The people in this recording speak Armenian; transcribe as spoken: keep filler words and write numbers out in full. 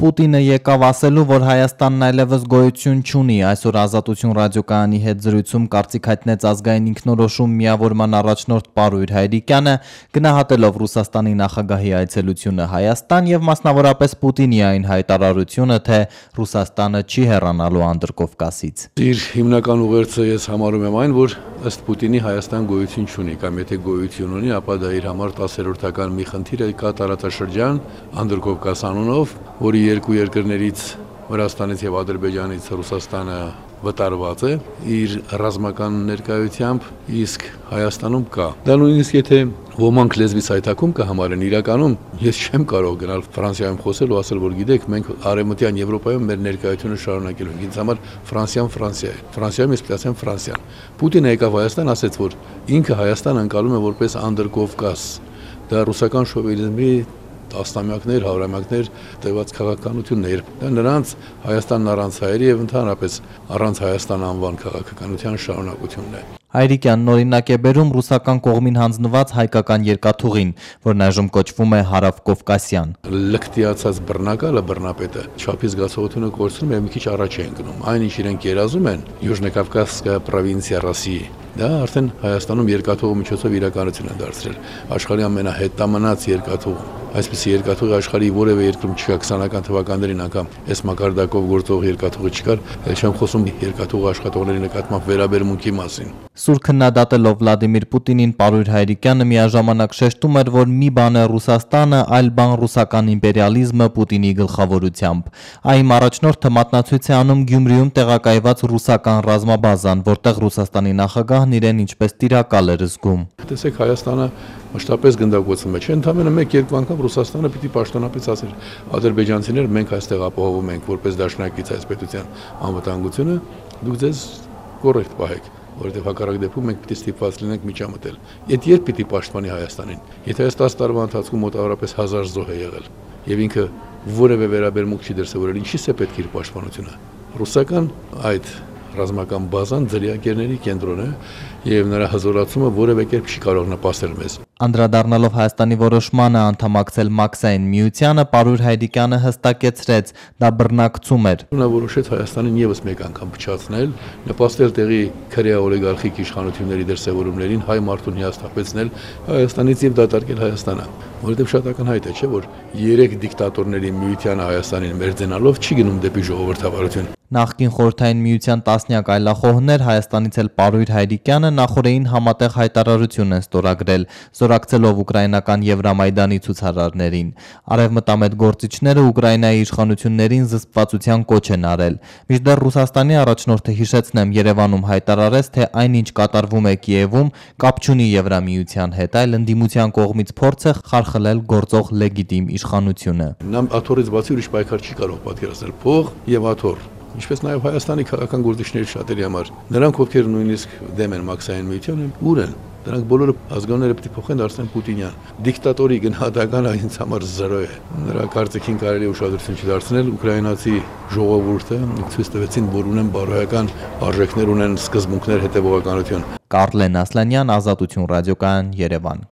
Պուտինը եկավ ասելու, որ Հայաստանն այլևս գոյություն չունի։ Այսօր Ազատություն ռադիոկայանի հետ զրույցում կարծիք հայտնեց ազգային ինքնորոշում միավորման առաջնորդ Պարույր Հայրիկյանը, գնահատելով Ռուսաստանի նախագահի այցելությունը Հայաստան եւ մասնավորապես Պուտինի այն հայտարարությունը, թե Ռուսաստանը չի հեռանալու Անդրկովկասից։ Իր հիմնական ուղերձը ես համարում եմ այն, որ ըստ Պուտինի Հայաստան գոյություն չունի, կամ եթե գոյություն ունի, ապա դա իր համար տասերորդական մի խնդիր է, կա տարածաշրջան Անդրկովկաս անունով, որի երկու երկրներից Վրաստանից եւ Ադրբեջանից Ռուսաստանը վտարված է իր ռազմական ներկայությամբ, իսկ Հայաստանում կա։ Դա նույնիսկ եթե ոմանք լեզվից հայտակում կհամարեն, իրականում ես չեմ կարող գնալ Ֆրանսիայում խոսել ու ասել, որ գիտեք, մենք Արևմտյան Եվրոպայում մեր ներկայությունը շարունակելու ենք։ Ինձ համար Ֆրանսիան Ֆրանսիա է։ Ֆրանսիայում ես պետք է ասեմ Ֆրանսիան։ Պուտինը եկավ Հայաստան, ասաց, որ ինքը Հայաստան անցալում է որպես Անդրկովկաս։ Դա ռուսական շովինիզմի տասնամյակներ, հարյուրամյակներ տևած քաղաքականությունն է, դա նրանց Հայաստանն առանց հայերի եւ ընդհանրապես առանց Հայաստան անվան քաղաքականության շարունակությունն է։ Հայրիկյանն օրինակ է բերում ռուսական կողմին հանձնված հայկական երկաթուղին, որն այժմ կոչվում է Հարավկովկասյան։ Լկտիացած բռնակալը, բռնապետը չափի զգացողությունը կորցնում է, մի քիչ առաջ է ընկնում։ Այն ինչ իրենք երազում են Յուժնեկավկասկա պրովինցիա Ռոսիայի, դա արդեն Հայաստանում երկաթուղու միջոցով իրականություն է դարձրել։ Աշխարհի ամենահետամնաց երկաթուղը։ Այսպիսի երկաթուղի աշխարհի որևէ երկրում չկա, քսանական թվականներին անգամ այս մակարդակով գործող երկաթուղը չկար, էլ չեմ խոսում երկաթուղի աշխատողների նկատմամբ վերաբերմունքի մասին։ Սուր քննադատելով Վլադիմիր Պուտինին, Պարույր Հայրիկյանը միաժամանակ շեշտում էր, որ մի բան է Ռուսաստանը, այլ բան ռուսական իմպերիալիզմը Պուտինի գլխավորությամբ։ Այն առաջնորդը մատնացույց է անում Գյումրիում տեղակայված ռուսական ռազմաբազան, որտեղ Ռուսաստանի նախագահն իրեն ինչպես տիրակալ էր զգում։ Տեսեք, Հայաստանը մշտապես գնդակոծվում է, չէ՞, ընդամենը մեկ-երկու անգամ Ռուսաստանը պիտի պաշտոնապես ասեր ադրբեջանցիներ, մենք այստեղ ապահովում ենք որպես դաշնակից այս պետության անվտանգությունը, դուք ձեզ կոռեկտ պահեք, որովհետև հակառակ դեպքում մենք պիտի ստիպված լինենք միջամտել։ Եդ երբ պիտի պաշտպանի Հայաստանին։ Եթե այս տասը տարվա ընթացքում մոտավորապես հազար զոհ է եղել եւ ինքը որևէ վերաբերմունք չի դրսևորել, ինչի՞ս է պետք իր պաշտպանությունը։ Ռուսական այդ ռազմական բազան ձրիակերների կենտրոն է եւ նրա հզորացումը որևէ կերպ չի կարող նպաստել մեզ։ Անդրադառնալով Հայաստանի որոշմանը անդամակցել Մաքսային միությանը, Պարույր Հայրիկյանը հստակեցրեց, դա բռնակցում էր։ Նա որոշեց Հայաստանին եւս մեկ անգամ փչացնել, նպաստել տեղի քրեա օլիգարխիկ իշխանությունների դրսևորումներին, հայ մարդուն հիասթափեցնել Հայաստանից եւ դատարկել Հայաստանը։ Որովհետեւ շատ ակնհայտ է, չէ՞, որ երեք դիկտատորների միությանը Հայաստանին մերձենալով չի գնում դեպի ժողովրդավարություն։ Նախկին Խորհրդային Միության տասնյակ այլախոհներ, Հայաստանից էլ Պարույր Հայրիկյանը նախորդին համատեղ հայտարարություն են ստորագրել, զորակցելով ուկրաինական Եվրամայդանի ցուցարարներին։ Արևմտամետ գործիչները Ուկրաինայի իշխանություններին զսպվածության կոչ են արել։ Մինչդեռ Ռուսաստանի առաջնորդը, հիշեցնեմ, Երևանում հայտարարեց, թե այնինչ կատարվում է Կիևում, կապ չունի Եվրամիության հետ, այլ ընդդիմության կողմից փորձ է խարխլել գործող լեգիտիմ իշխանությունը։ Նա աթոռից բացի ուրիշ պայքար չի կարող պատկերացնել, փող եւ աթոռ, ինչպես նաև Հայաստանի քաղաքական գործիչների շատերի համար։ Նրանք, ովքեր նույնիսկ դեմ են Մաքսային միությանը, ուր են։ Դրանք բոլորը ազգանները պետք է փոխեն, դարձնեն Պուտինյան։ Դիկտատորի գնահատականը ինձ համար զրո է։ Նրա կարծիքին կարելի է ուշադրություն չդարձնել, ուկրաինացի ժողովուրդը ցույց տվեցին, որ ունեն բարոյական արժեքներ, ունեն սկզբունքներ, հետևողականություն։ Կարլեն Ասլանյան, Ազատություն ռադիոկայան, Երևան։